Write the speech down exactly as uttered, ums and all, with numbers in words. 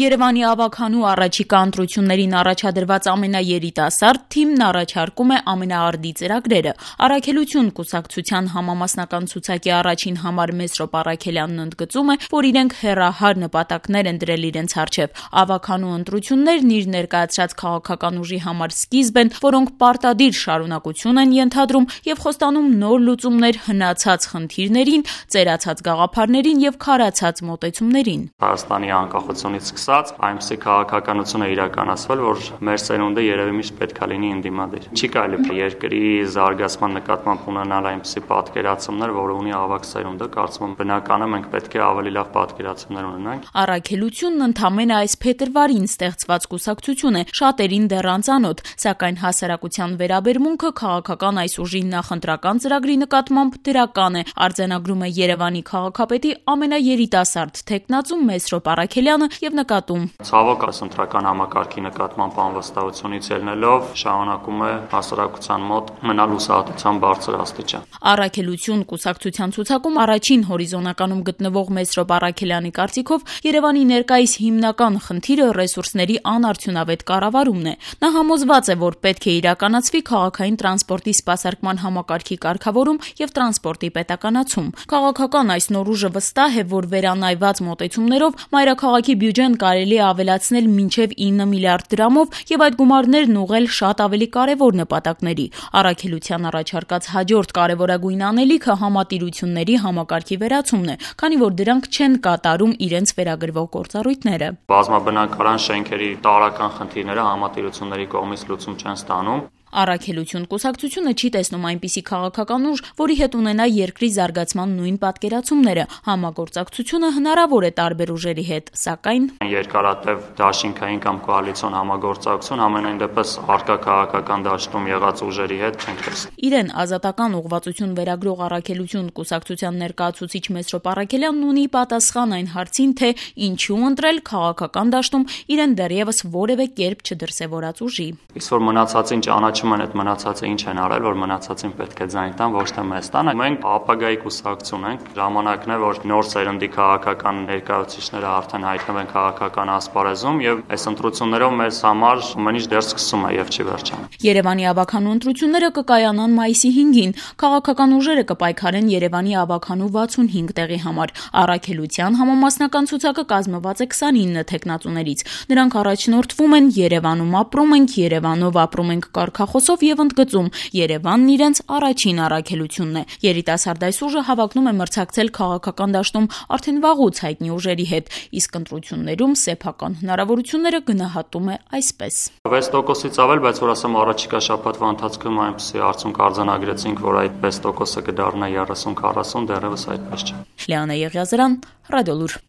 Երևանի ավագանու առաջիկա ընտրություններին առաջադրված ամենաերիտասարդ թիմն առաջարկում է ամենաարդի ծրագրերը։ Առաքելություն կուսակցության համամասնական ցուցակի առաջին համար Մեսրոպ Առաքելյանն ընդգծում է, որ իրենք հեռահար նպատակներ են դրել իրենց առջև։ Ավագանու ընտրություններն իր ներկայացրած քաղաքական ուժի համար սկիզբ են, որոնք պարտադիր շարունակություն են ենթադրում եւ խոստանում նոր լուծումներ հնացած խնդիրներին, ծերացած գաղափարներին եւ քարացած մոտեցումներին։ Հայաստանի անկախությունից սկսած այնպիսի քաղաքականություն է իրականացվել, որ մեր սերունդը երևի միշտ պետք է լինի ընդդիմադիր։ Չի կարելի երկրի զարգացման նկատմամբ ունենալ այնպիսի պատկերացումներ, որը ունի ավագ սերունդը, կարծում եմ բնական է մենք պետք է ավելի լավ պատկերացումներ ունենանք։ Առաքելությունն ընդամենը այս փետրվարին ստեղծված կուսակցություն է, շատերին դեռ անծանոթ, սակայն հասարակության վերաբերմունքը քաղաքական այս ուժի նախընտրական ծրագրի նկատմամբ դրական է, արձանագրում է Երևանի քաղաքապետի ամենաերիտասարդ թեկնածու Մեսրոպ Առաքելյանը եւ նկատում. Ցավոք այս ընտրական համակարգի նկատմամբ անվստահությունից ելնելով շարունակում է հասարակության մոտ մնալ հուսահատության բարձր աստիճան։ Առաքելություն կուսակցության ցուցակում առաջին հորիզոնականում գտնվող Մեսրոպ Առաքելյանի կարծիքով Երևանի ներկայիս հիմնական խնդիրը ռեսուրսների անարդյունավետ կառավարումն է։ Նա համոզված է, որ պետք է իրականացվի քաղաքային տրանսպորտի սպասարկման համակարգի կարգավորում եւ տրանսպորտի պետականացում։ Քաղաքական այս նոր ուժը վստահ է, որ վերանայված մոտեցումներով մայրաքաղաքի բյուջեն կարելի է ավելացնել մինչև ինը միլիարդ դրամով եւ այդ գումարներն ուղղել շատ ավելի կարեւոր նպատակների։ Առաքելության առաջարկած հաջորդ կարևորագույն անելիքը համատիրությունների համակարգի վերացումն է, քանի որ դրանք չեն կատարում իրենց վերագրվող գործառույթները։ Բազմաբնակարան շենքերի տարրական խնդիրները համատիրությունների կողմից լուծում չեն ստանում։ Առաքելություն կուսակցությունը չի տեսնում այնպիսի քաղաքական ուժ, որի հետ ունենա երկրի զարգացման նույն պատկերացումները։ Համագործակցությունը հնարավոր է տարբեր ուժերի հետ, սակայն երկարատև դաշինքային կամ կոալիցիոն համագործակցություն ամենայն դեպս արկա քաղաքական դաշտում եղած ուժերի հետ չենք տեսնում։ Իրեն ազատական ուղղվածություն վերագրող Առաքելություն կուսակցության ներկայացուցիչ Մեսրոպ Առաքելյանն ունի պատասխան այն հարցին, թե ինչու ընտրել քաղաքական դաշտում իրեն դեռևս որևէ կերպ չդրսևորած ուժի։ Իսկ որ մնացածին ճանաչում են, այդ մնացածը ինչ են արել, որ մնացածին պետք է ձայն տան, ոչ թե մեզ տան։ Մենք ապագայի կուսակցություն ենք, ժամանակն է, որ նոր սերնդի քաղաքական ներկայացուցիչները արդեն հայտնվեն քաղաքական ասպարեզում եւ այս ընտրություններով մեզ համար ամեն ինչ դեռ սկսում է եւ չի վերջանում։ Երևանի ավագանու ընտրությունները կկայանան մայիսի հինգին։ Քաղաքական ուժերը կպայքարեն Երևանի ավագանու վաթսունհինգ տեղի համար։ Առաքելության համամասնական ցուցակը կազմված է քսանինը թեկնածուներից։ Նրանք առաջնորդվում են Երևանում ապրում ենք, Երևանով ապրում ենք կարգախոսով եւ ընդգծում Երևանն իրենց առաջին առաքելությունն է։ Երիտասարդ այս ուժը հավակնում է մրցակցել քաղաքական դաշտում արդեն վաղուց հայտնի ուժերի հետ, իսկ ընտրություններում սեփական հնարավորությունները գնահատում է այսպես. վեց տոկոսից ավել, բայց որ ասեմ առաջիկա շաբաթվա ընթացքում այնպեսի արդյունք արձանագրեցինք, որ այդ վեց տոկոսը կդառնա երեսուն քառասուն, դեռևս այդպես չէ։ Լիանա Եղիազարյան, Ռադիոլուր։